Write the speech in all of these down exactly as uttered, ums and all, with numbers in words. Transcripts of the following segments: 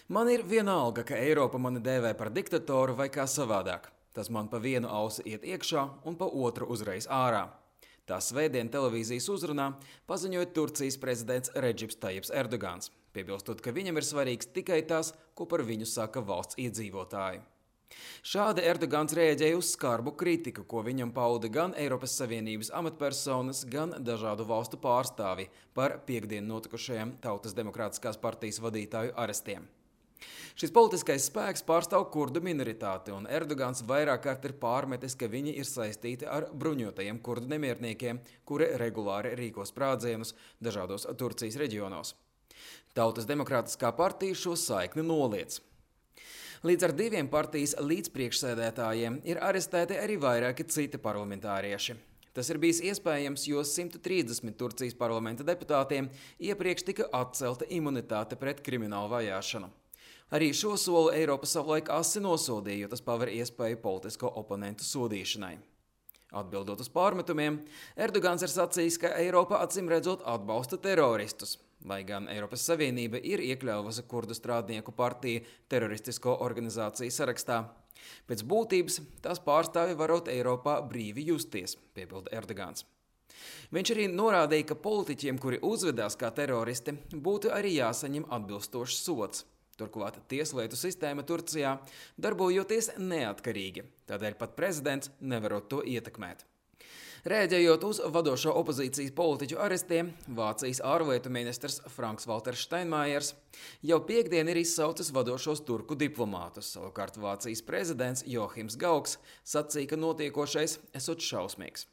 Man ir vienalga, ka Eiropa mani dēvē par diktatoru vai kā savādāk. Tas man pa vienu ausi iet iekšā un pa otru uzreiz ārā. Tā svētdien televīzijas uzrunā paziņoja Turcijas prezidents Redžips Tajips Erdogans, piebilstot, ka viņam ir svarīgs tikai tas, ko par viņu saka valsts iedzīvotāji. Šādi Erdogans rēģēja uz skarbu kritiku, ko viņam pauda gan Eiropas Savienības amatpersonas, gan dažādu valstu pārstāvi par piekdien notikušajiem Tautas demokrātiskās partijas vadītāju arestiem. Šis politiskais spēks pārstāv kurdu minoritāti, un Erdogans vairāk kārt ir pārmetis, ka viņi ir saistīti ar bruņotajiem kurdu nemierniekiem, kuri regulāri rīko sprādzienus dažādos Turcijas reģionos. Tautas demokrātiskā partija šo saikni noliedz. Līdz ar diviem partijas līdzpriekšsēdētājiem ir arestēti arī vairāki citi parlamentārieši. Tas ir bijis iespējams, jo simt trīsdesmit Turcijas parlamenta deputātiem iepriekš tika atcelta imunitāte pret kriminālu vajāšanu. Arī šo soli Eiropa savulaik asi nosodīja, jo tas paver iespēju politisko oponentu sodīšanai. Atbildot uz pārmetumiem, Erdogans ir sacījis, ka Eiropa acīm redzot atbalsta teroristus, lai gan Eiropas Savienība ir iekļāvusi kurdu strādnieku partiju teroristisko organizāciju sarakstā. Pēc būtības tās pārstāvi varot Eiropā brīvi justies, piebilda Erdogans. Viņš arī norādīja, ka politiķiem, kuri uzvedās kā teroristi, būtu arī jāsaņem atbilstošs sods. Turklāt tieslietu sistēma Turcijā darbojoties neatkarīgi, tādēļ pat prezidents nevarot to ietekmēt. Rēģējot uz vadošo opozīcijas politiķu arestiem, Vācijas ārlietu ministrs Franks Valters Steinmeiers jau piekdien ir izsaucis vadošos turku diplomātus, savukārt Vācijas prezidents Johims Gauks sacīja, ka notiekošais esot šausmīgs.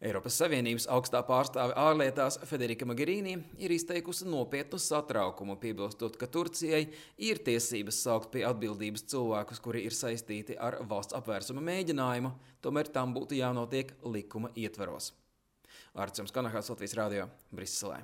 Eiropas Savienības augstā pārstāve ārlietās Federika Mogherini ir izteikusi nopietnu satraukumu, piebilstot, ka Turcijai ir tiesības saukt pie atbildības cilvēkus, kuri ir saistīti ar valsts apvērsuma mēģinājumu, tomēr tam būtu jānotiek likuma ietvaros. Arts Kanahāts, Latvijas radio, Briselē.